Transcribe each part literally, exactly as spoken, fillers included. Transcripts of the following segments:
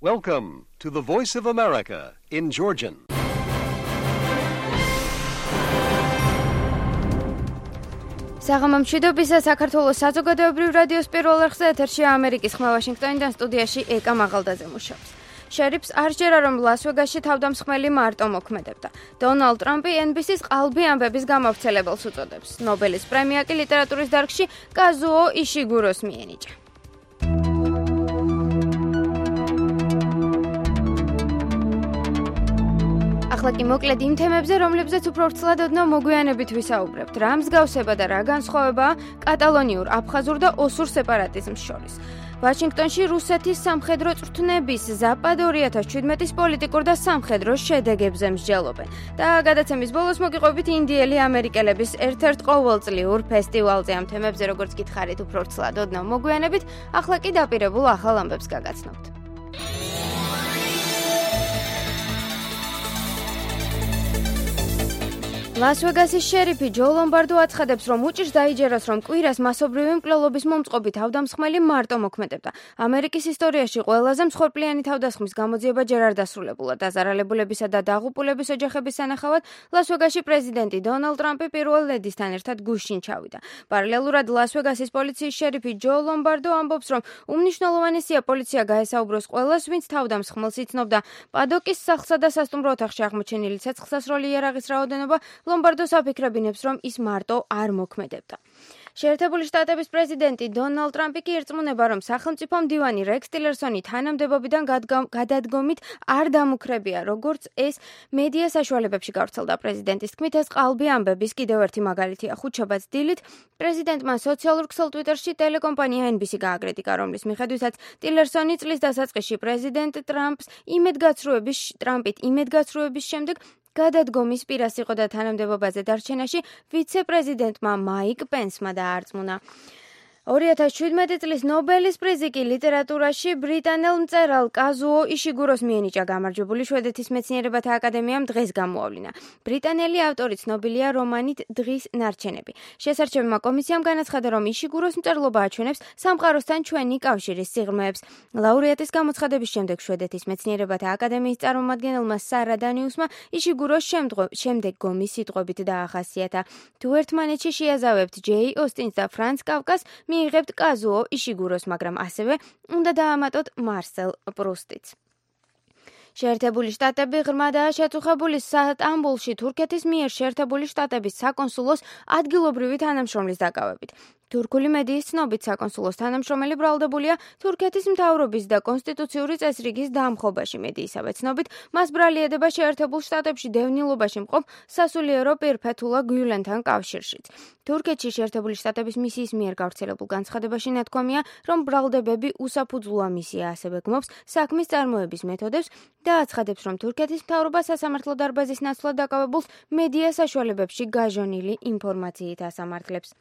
Welcome to the Voice of America in Georgian. საღამომშვიდობისა საქართველოს საზოგადოებრივ რადიოს პირველ არხზე ეთერში ამერიკის ხმა ვაშინგტონიდან სტუდიაში ეკა მაღალდაძე მუშაობს. შერიფს არ ჯერა რომ ლას-ვეგასში თავდამსხმელი მარტო მოქმედებდა. დონალდ ტრამპი ენ ბი სის ყალბი ამბების გამავრცელებელს უწოდებს. ნობელის პრემია კი ლიტერატურის დარგში კაზუო იშიგუროს მიენიჭა. ახლა კი მოკლედ იმ თემებზე, რომლებზეც უფრო ვრცლად ოდნავ მოგვიანებით ვისაუბრებთ. რა მსგავსება და რა განსხვავებაა კატალონიურ, აფხაზურ და ოსურ სეპარატიზმს შორის. ვაშინგტონში რუსეთის სამხედრო წვრთნების ზაპად ორი ათას შვიდმეტის პოლიტიკურ და სამხედრო შედეგებზე მსჯელობენ. და გადაცემის ბოლოს მოგიყვებით ინდიელი ამერიკელების ერთ-ერთ ყოველწლიურ ფესტივალზე. ამ თემებზე, როგორც გითხარით, უფრო ვრცლად ოდნავ მოგვიანებით, ახლა კი დაპირებულ ახალ ამბებს გაგაცნობთ. ლას-ვეგასის შერიფი ჯო ლომბარდო აცხადებს, რომ უჭირს დაიჯეროს, რომ კვირას მასობრივი მკვლელობის მომწყობი თავდამსხმელი მარტო მოქმედებდა. ამერიკის ისტორიაში ყველაზე მსხვერპლიანი თავდასხმის გამოძიება ჯერ არ დასრულებულა. დაზარალებულებისა და დაღუპულების ოჯახების სანახავად ლას-ვეგასში პრეზიდენტი დონალდ ტრამპი პირველ ლედისთან ერთად გუშინ ჩავიდა. პარალელურად ლას-ვეგასის პოლიციის შერიფი ჯო ლომბარდო ამბობს, რომ უმნიშვნელოვანესია პოლიცია გაესაუბროს ყველას, ვინც თავდამსხმელს იცნობდა. პადოკის სახლსა და სასტუმრო ოთახში აღმოჩენილი ცეცხლსასროლი იარაღის რაოდენობა ლომბარდოს აფიქრებინებს, რომ ის მარტო არ მოქმედებდა. შეერთებული შტატების პრეზიდენტი დონალდ ტრამპი კი ერწმუნება, რომ სახელმწიფო მდივანი რექს ტილერსონი თანამდებობიდან გადადგომით არ დამუქრებია, როგორც ეს მედია საშუალებებში გავრცელდა. პრეზიდენტის თქმით, ეს ყალბი ამბების კიდევ ერთი მაგალითია. ხუთშაბათს დილით პრეზიდენტმა სოციალურ ქსელ ტვიტერში ტელეკომპანია ენ ბი სი გააკრიტიკა, რომლის მიხედვითაც ტილერსონი წლის დასაწყისში პრეზიდენტ ტრამპს იმედგაცრუების ტრამპით იმედგაცრუების შემდეგ გადადგომის პირას იყო და თანამდებობაზე დარჩენაში ვიცე-პრეზიდენტმა მაიკ პენსმა დაარწმუნა. ორი ათას შვიდმეტი წლის ნობელის პრიზი კი ლიტერატურაში ბრიტანელ მწერალ კაზუო იშიგუროს მიენიჭა. გამარჯვებული შვედეთის მეცნიერებათა აკადემიამ დღეს გამოავლინა. ბრიტანელი ავტორი ცნობილია რომანით დღის ნარჩენები. შესარჩევმა კომისიამ განაცხადა, რომ იშიგუროს მწერლობა აჩვენებს სამყაროსთან ჩვენი კავშირის სიღრმეებს. ლაურეატის გამოცხადების შემდეგ შვედეთის მეცნიერებათა აკადემიის წარმომადგენელმა სარა დანიუსმა იშიგუროს შემდეგომი სიტყვებით დაახასიათა. თუ ერთმანეთში შეაზავებთ ჯეი ოსტინს და ფრანც კავკას, მიიღებთ კაზუო იშიგუროს, მაგრამ ასევე უნდა დაამატოთ მარსელ პრუსტიც. შეერთებული შტატები ღრმადაა შეწუხებული სტამბოლში თურქეთის მიერ შეერთებული შტატების საკონსულოს ადგილობრივი თანამშრომლის დაკავებით. თურქული მედიის ცნობით საკონსულოს თანამშრომელი ბრალდებულია თურქეთის მთავრობის და კონსტიტუციური წესრიგის დამხობაში. მედიისავე ცნობით, მას ბრალი ედება შეერთებულ შტატებში დევნილობაში მყოფ სასულიერო პირ ფეთულა გიულენთან კავშირშიც. თურქეთში შეერთებული შტატების მისიის მიერ გავრცელებულ განცხადებაში ნათქვამია, რომ ბრალდებები უსაფუძვლოა მისია, ასევე გმობს საქმის წარმოების მეთოდებს და აცხადებს, რომ თურქეთის მთავრობა სასამართლო დარბაზის ნაცვლად დაკავებულს მედია საშუალებებში გაჟონილი ინფორმაციით ასამართლებს.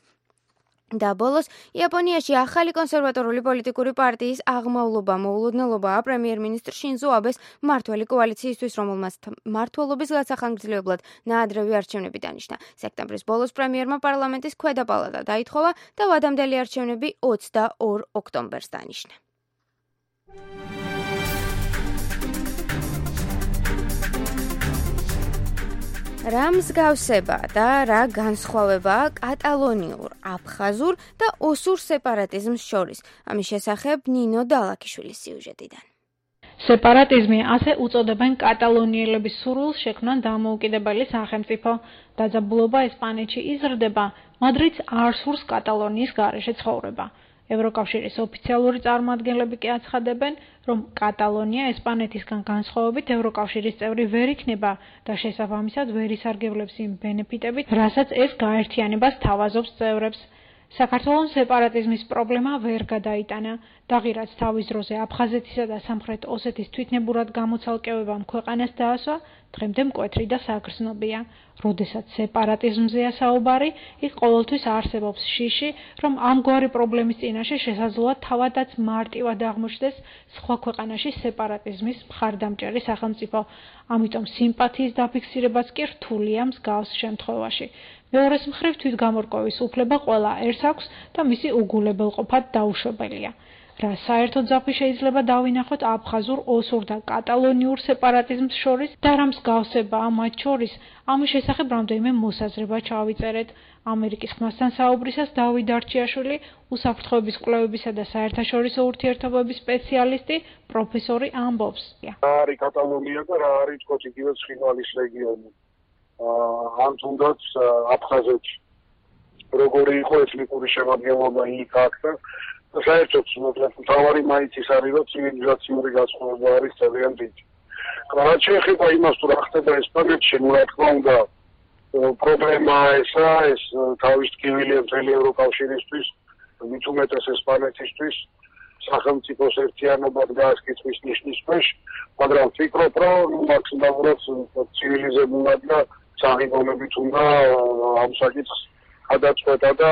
და ბოლოს, იაპონიაში ახალი კონსერვატორული პოლიტიკური პარტიის აღმავლობა მოულოდნელობაა პრემიერ-მინისტრ შინზო აბეს მმართველი კოალიციისთვის, რომელმაც მმართველობის გასახანგრძლივებლად ნაადრევი არჩევნები დანიშნა. სექტემბრის ბოლოს პრემიერმა პარლამენტის ქვედა პალატა დაითხოვა და ვადამდელი არჩევნები ოცდაორ ოქტომბერს დანიშნა. რა მსგავსება და რა განსხვავებაა კატალონიურ, აფხაზურ და ოსურ სეპარატიზმს შორის? ამის შესახებ ნინო დალაქიშვილის სიუჟეტიდან. სეპარატიზმი ასე უწოდებენ კატალონიელების სურვილს შექმნან დამოუკიდებელი სახელმწიფო. დაძაბულობა ესპანეთში იზრდება, მადრიდს არ სურს კატალონიის გარეშე ცხოვრება. ევროკავშირის ოფიციალური წარმომადგენლები კი აცხადებენ, რომ კატალონია ესპანეთისგან განსხვავებით ევროკავშირის წევრი ვერ იქნება და შესაბამისად ვერ ისარგებლებს იმ ბენეფიტებით, რასაც ეს გაერთიანებას თავაზობს წევრებს. საქართველოს სეპარატიზმის პრობლემა ვერ გადაიტანა. დაღირაც თავის დროზე აფხაზეთისა და სამხრეთ ოსეთის თვითნებურად გამოცალკევებამ ქვეყანას დაასვა, დღემდე მკვეთრი და საგრძნობია. როდესაც სეპარატიზმზეა საუბარი, იქ ყოველთვის არსებობს შიში, რომ ამგვარი პრობლემის წინაშე შესაძლოა თავადაც მარტივად აღმოჩნდეს სხვა ქვეყანაში სეპარატიზმის მხარდამჭერი სახელმწიფო. ამიტომ სიმპათიის დაფიქსირებაც კი რთულია მსგავს შემთხვევაში. მეორეს მხრივ თვითგამორკვევის უფლება ყველა ერთს აქვს და მისი უგულებელყოფად დაუშვებელია. რა საერთო ძაფი შეიძლება დავინახოთ აფხაზურ, ოსურ და კატალონიურ სეპარატიზმს შორის და რა მსგავსებაა მათ შორის, ამის შესახებ რამდენიმე მოსაზრება ჩავიწერეთ. ამერიკის ხმასთან საუბრისას დავით არჩიაშვილი, უსაფრთხოების კვლევებისა და საერთაშორისო ურთიერთობების სპეციალისტი, პროფესორი ამბობს. რა არის კატალონია და რა არის თქო იგივე ცხინვალის რეგიონი. ან თუნდაც აფხაზეთში. როგორი იყო ეთნიკური შემადგენლობა იქ აქ და საერთოდ მთავარი მაინც ის არის, რომ ცივილიზაციური განსხვავება არის ძალიან დიდი. რაც შეეხება იმას, თუ რა ხდება ესპანეთში, ну რა თქმა უნდა, პრობლემა ესა, ეს თავის ტკივილია მთელი ევროკავშირისთვის, მით უმეტეს ესპანეთისთვის, სახელმწიფოს ერთიანობა გაასკითხვის ნიშნის ქვეშ, მაგრამ ვფიქრობ, რომ მაქსიმალურად ცივილიზებულად და საღებავებით უნდა ამ საკითხს გადაწყვეტა და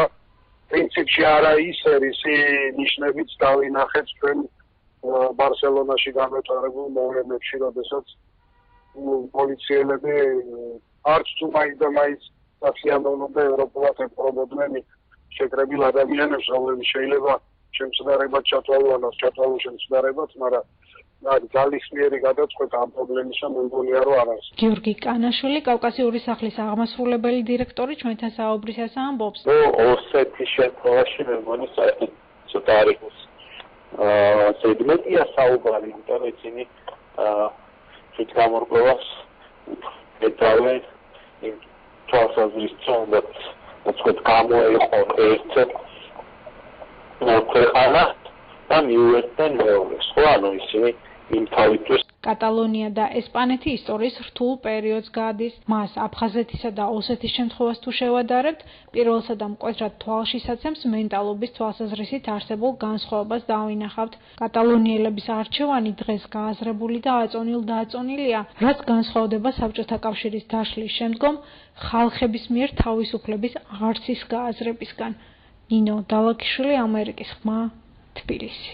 პრინციპში არა ის რისი ნიშნებიც დავინახეთ ჩვენ ბარსელონაში გამეთვალებულ მოვლენებში, როდესაც პოლიციელები არც თუ მაინც და მაინც საფრთხიანობდნენ და ევროპულად ემხრობოდნენ შეკრებილ ადამიანებს, რომლებიც შეიძლება შემცდარებად ჩათვალოს, ჩათვალოს შემცდარებად, მაგრამ ძალისმიერი გადაწყვეტა ამ პრობლემისა მე მგონია რომ არ არის. გიორგი კანაშვილი, კავკასიური სახლის აღმასრულებელი დირექტორი, ჩვენთან საუბრისას ამბობს. ოსეთის შემთხვევაში მე მგონი საერთოდ ცოტა არ იყოს ზედმეტია საუბარი, იმიტომ რომ ისინი თვით გამორკვევას ეტავე იმ თვალსაზრისით, რაც თქვა გამოეყო ერთ ქვეყანა და მიუერთდნენ მეორეს. ხო, ანუ ისინი იმ თავისთვის კატალონია და ესპანეთი ისტორიის რთულ პერიოდს გადის. მას აფხაზეთისა და ოსეთის შემთხვევას თუ შევადარებთ, პირველსა და მკვეთრად თვალშისაცემს მენტალობის თვალსაზრისით არსებულ განსხვავებას დავინახავთ. კატალონიელების არჩევანი დღეს გააზრებული და აწონილ-დააწონილია, რაც განსხვავდება საბჭოთა კავშირის დაშლის შემდგომ ხალხების მიერ თავისუფლების არსის გააზრებისგან. ნინო დალაქიშვილი, ამერიკის ხმა, თბილისი.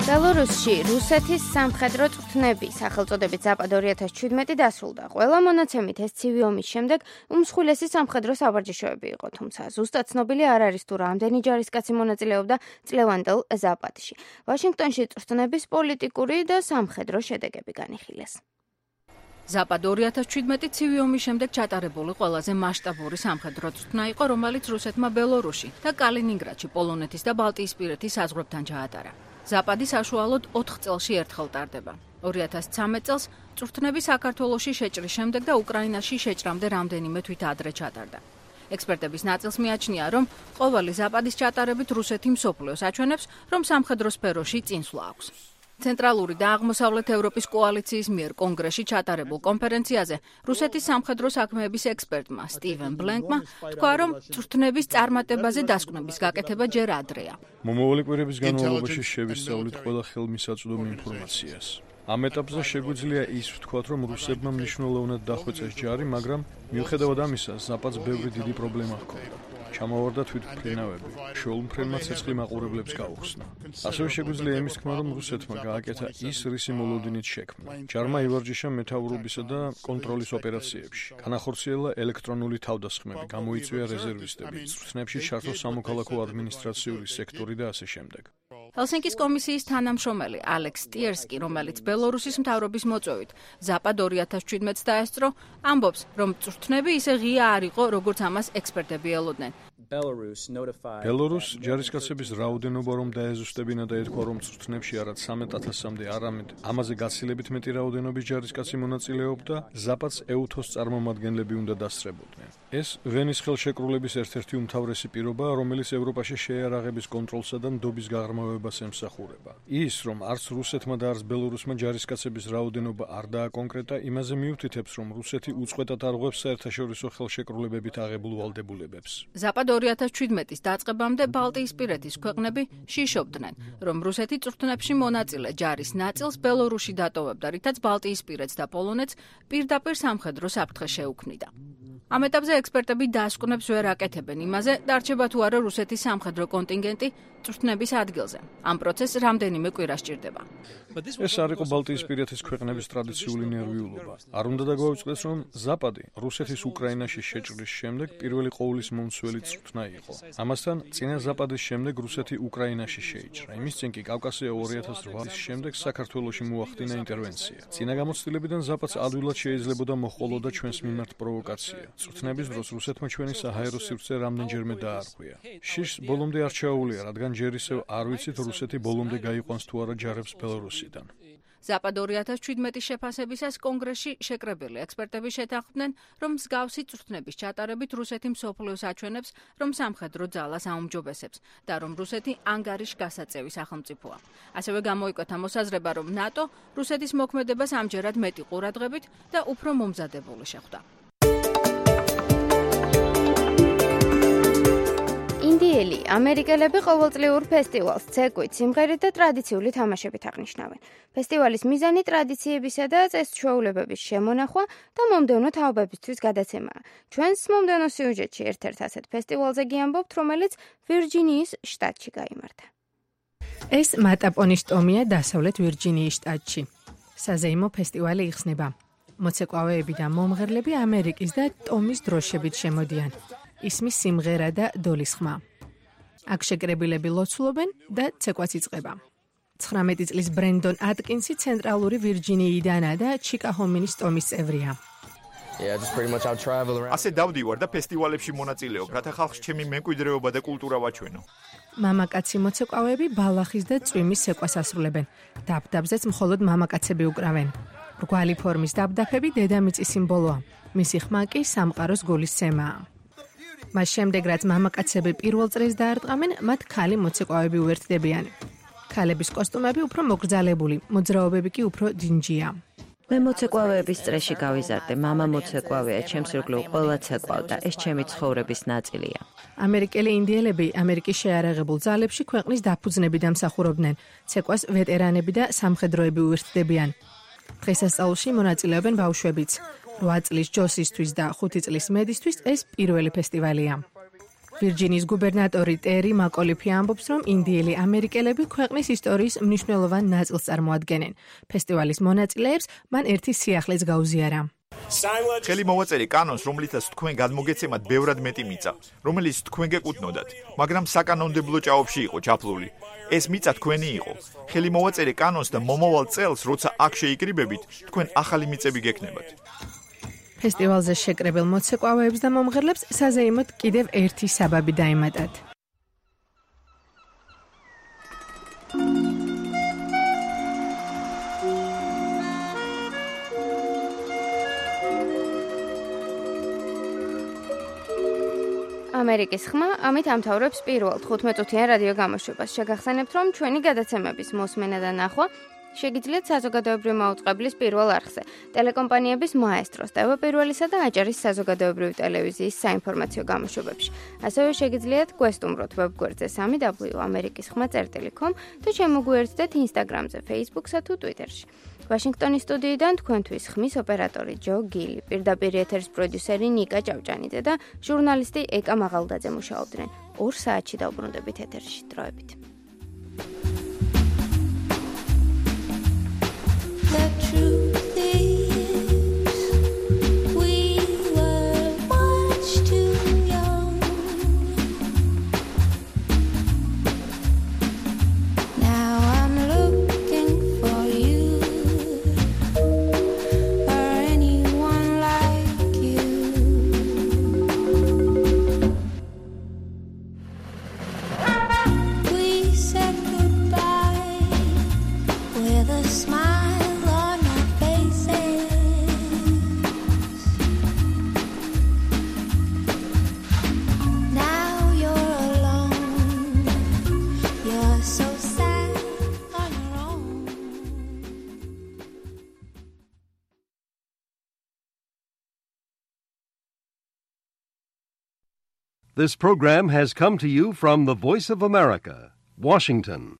ბელორუსში რუსეთის სამხედრო წვრთნები სახელწოდებით ზაპად ორი ათას შვიდმეტი დასრულდა. ყველა მონაცემით ეს ცივი ომის შემდეგ უმსხვილესი სამხედრო სავარჯიშოები იყო, თუმცა ზუსტად ცნობილი არ არის თუ რამდენი ჯარისკაცი მონაწილეობდა წლევანდელ ზაპადში. ვაშინგტონში წვრთნების პოლიტიკური და სამხედრო შედეგები განიხილეს. ზაპად ორი ათას შვიდმეტი ცივი ომის შემდეგ ჩატარებული ყველაზე მასშტაბური სამხედრო წვრთნა იყო, რომელიც რუსეთმა ბელორუსში და კალინინგრადში პოლონეთის და ბალტიისპირეთის საზღვრებთან ჩაატარა. ზაპადი საშუალოდ ოთხ წელში ერთხელ ტარდება. ორი ათას ცხრამეტ წელს წვრთნები საქართველოში შეჭრის შემდეგ და უკრაინაში შეჭრამდე რამდენიმე თვით ადრე ჩატარდა. ექსპერტების ნაწილს მიაჩნია, რომ ყოველი ზაპადის ჩატარებით რუსეთი მსოფლიოს აჩვენებს, რომ სამხედრო სფეროში წინსვლა აქვს. ცენტრალური და აღმოსავლეთ ევროპის კოალიციის მიერ კონგრესში ჩატარებულ კონფერენციაზე რუსეთის სამხედრო საქმეების ექსპერტმა სტივენ ბლენკმა თქვა, რომ წვრთნების წარმატებაზე დასკვნების გაკეთება ჯერ ადრეა. მომავალი კვირების განმავლობაში შევისწავლით ყველა ხელმისაწვდომი ინფორმაციას. ამ ეტაპზე შეგვიძლია ის ვთქვათ, რომ რუსებმა მნიშვნელოვნად დახვეწეს ჯარი, მაგრამ მიუხედავად ამისა, ზაპადს ბევრი დიდი პრობლემა ჰქონდა. ჩამოვარდა თვითმფრინავები, შეულმფრენმა ცეცხლი მაყურებლებს გაუხსნა. ასევე შეგვიძლია იმის თქმა, რომ რუსეთმა გააკეთა ის, რისი მოლოდინით შექმნა. ჯარმა ივარჯიშა მეთაურობისა და კონტროლის ოპერაციებში. განახორციელა ელექტრონული თავდასხმები, გამოიწვია რეზერვისტები, წვრთნებში ჩართო სამოქალაქო ადმინისტრაციული სექტორი და ასე შემდეგ. ჰელსინკის კომისიის თანამშრომელი ალექს ტიერსკი, რომელიც ბელორუსის მთავრობის მოწვევით ზაპად ორი ათას შვიდმეტს დაესწრო, ამბობს, რომ წვრთნები ისე ღია არ იყო, როგორც ამას ექსპერტები ელოდნენ. ბელორუს ჯარისკაცების რაოდენობა რომ დაეზუსტებინა და ეთქვა, რომ წვრთნებში არად სამეტ ათასამდე, არამედ ამაზე გაცილებით მეტი რაოდენობის ჯარისკაცი მონაწილეობდა, ზაპადს ეუთოს წარმომადგენლები უნდა დასწრებოდნენ. ეს ვენის ხელშეკრულების ერთ-ერთი უმთავრესი პირობაა, რომელიც ევროპაში შეიარაღების კონტროლსა და ნდობის გაღრმავებას ემსახურება. ის, რომ არც რუსეთმა და არც ბელორუსმა ჯარისკაცების რაოდენობა არ დააკონკრეტა, იმაზე მიუთითებს, რომ რუსეთი უწყვეტად არღვევს საერთაშორისო ხელშეკრულებებით აღებულ ვალდებულებებს. ზაპად ორი ათას შვიდმეტის დაწყებამდე ბალტიისპირეთის ქვეყნები შიშობდნენ, რომ რუსეთი წვრთნებში მონაწილე ჯარის ნაწილს ბელორუსში დატოვებდა, რითაც ბალტიისპირეთს და პოლონეთს პირდაპირ სამხედრო საფრთხე შეუქმნიდა. ამ ეტაპზე ექსპერტები დასკვნებს ვერ აკეთებენ იმაზე, დარჩება თუ არა რუსეთის სამხედრო კონტინგენტი წვრთნების ადგილზე. ამ პროცესს რამდენიმე კვირა სჭირდება. ეს არ იყო ბალტიისპირეთის ქვეყნების ტრადიციული ნერვიულობა. არ უნდა დაგვაუწყდეს, რომ ზაპადი რუსეთის უკრაინაში შეჭრის შემდეგ პირველი ყოვლის მომცველი წვრთნა იყო. ამასთან, წინა ზაპადის შემდეგ რუსეთი უკრაინაში შეიჭრა. იმის წინ კი კავკასია ორი ათას ოთხ წლის შემდეგ საქართველოში მოახდინა ინტერვენცია. წინა გამოცდილებიდან ზაპადს ადვილად შეიძლებოდა მოჰყოლოდა ჩვენს მიმართ პროვოკაცია. წვრთნების დროს რუსეთმა ჩვენი საჰაერო სივრცე რამდენჯერმე დაარღვია. შიშს ბოლომდე არ ჩაუვლია, რადგან ჯერ ისევ არ ვიცით რუსეთი ბოლომდე გაიყვანს თუ არა ჯარებს ბელარუსიდან. ზაპად ორი ათას შვიდმეტის შეფასებისას კონგრესში შეკრებილი ექსპერტები შეთანხმდნენ, რომ მსგავსი წვრთნების ჩატარებით რუსეთი მსოფლიოს აჩვენებს, რომ სამხედრო ძალას აუმჯობესებს და რომ რუსეთი ანგარიშ გასაწევი სახელმწიფოა. ასევე გამოიკვეთა მოსაზრება, რომ ნატო რუსეთის მოქმედებას ამჯერად მეტი ყურადღებით და უფრო მომზადებული შეხვდა. ინდიელი ამერიკელები ყოველწლიურ ფესტივალს ცეკვით, სიმღერით და ტრადიციული თამაშებით აღნიშნავენ. ფესტივალის მიზანი ტრადიციებისა და წესჩვეულებების შემონახვა და მომდევნო თაობებისთვის გადაცემაა. ჩვენს მომდევნო სიუჟეტში ერთ-ერთ ასეთ ფესტივალზე გიამბობთ, რომელიც ვირჯინიის შტატში გაიმართა. ეს მატაპონის ტომია დასავლეთ ვირჯინიის შტატში. საზეიმო ფესტივალი იხსნება. მოცეკვავეები და მომღერლები ამერიკის და ტომის დროშებით შემოდიან. ისმის სიმღერა და დოლის ხმა. აქ შეკრებილები ლოცულობენ და ცეკვაც იწყება. ცხრამეტი წლის ბრენდონ ატკინსი ცენტრალური ვირჯინიიდანაა და ჩიკაჰომინის ტომის წევრია. ასე დავდივარ და ფესტივალებში მონაწილეობ, რათა ხალხს ჩემი მემკვიდრეობა და კულტურა ვაჩვენო. მამაკაცი მოცეკვავეები ბალახის და წვიმის ცეკვას ასრულებენ. დაბდაბზეც მხოლოდ მამაკაცები უკრავენ. რგვალი ფორმის დაბდაფები დედამიწის სიმბოლოა. მისი ხმა კი სამყაროს გულისცემაა. მას შემდეგ, რაც მამაკაცები პირველ წრეს დაარტყამენ, მათ ქალი მოცეკვავეები უერთდებიან. ქალების კოსტუმები უფრო მოგრძალებული, მოძრაობები კი უფრო დინჯია. მე მოცეკვავეების წრეში გავიზარდე, მამა მოცეკვავეა, ჩემს ირგვლივ ყველა ცეკვავ და ეს ჩემი ცხოვრების ნაწილია. ამერიკელი ინდიელები ამერიკის შეარაღებულ ძალებში ქვეყნის დაფუძნები დამსახურობდნენ. ცეკვას ვეტერანები და სამხედროები უერთდებიან. დღესასწაულში მონაწილეობენ ბავშვებიც. რვა წლის ჯოსისთვის და ხუთი წლის მედისთვის ეს პირველი ფესტივალია. ვირჯინიის გუბერნატორი ტერი მაკოლიფი ამბობს, რომ ინდიელი ამერიკელები ქვეყნის ისტორიის მნიშვნელოვან ნაწილს წარმოადგენენ. ფესტივალის მონაწილეებს მან ერთი სიახლეც გაუზიარა. ხელი მოვაწერი კანონს, რომლითაც თქვენ გადმოგეცემათ ბევრად მეტი მიწა, რომელიც თქვენ გეკუთვნოდათ, მაგრამ საკანონმდებლო ჭაობში იყო ჩაფლული. ეს მიწა თქვენი იყო. ხელი მოვაწერი კანონს და მომავალ წელს, როცა აქ შეიკრიბებით, თქვენ ახალი მიწები გექნებათ. ფესტივალზე შეკრებილ მოცეკვავეებს და მომღერლებს საზეიმოდ კიდევ ერთი საბაბი დაემატათ. ამერიკის ხმა ამით ამთავრებს პირველ თხუთმეტ-წუთიან რადიო გამოშვებას. შეგახსენებთ, რომ ჩვენი გადაცემების მოსმენა და ნახვა შეგიძლიათ საზოგადოებრივი მაუწყებლის პირველ არხზე, ტელეკომპანიების მაესტროს, ტევ პირველისა და აჭარის საზოგადოებრივი ტელევიზიის საინფორმაციო გამოშვებებში. ასევე შეგიძლიათ გვესტუმროთ ვებგვერდზე სამი დაბლიუ ამერიკის ხმა წერტილი კომ და შემოგვიერთდეთ ინსტაგრამზე, ფეისბუქსა თუ ტვიტერში. ვაშინგტონის სტუდიიდან თქვენთვის ხმის ოპერატორი ჯო გილი, პირდაპირ ეთერის პროდიუსერი ნიკა ჭავჭანიძე და ჟურნალისტი ეკა მაღალდაძე მუშაობდნენ. ორ საათში დავბრუნდებით ეთერში. დროებით. The truth is, we were much too young. Now I'm looking for you, or anyone like you. We said goodbye with a smile. This program has come to you from the Voice of America, Washington.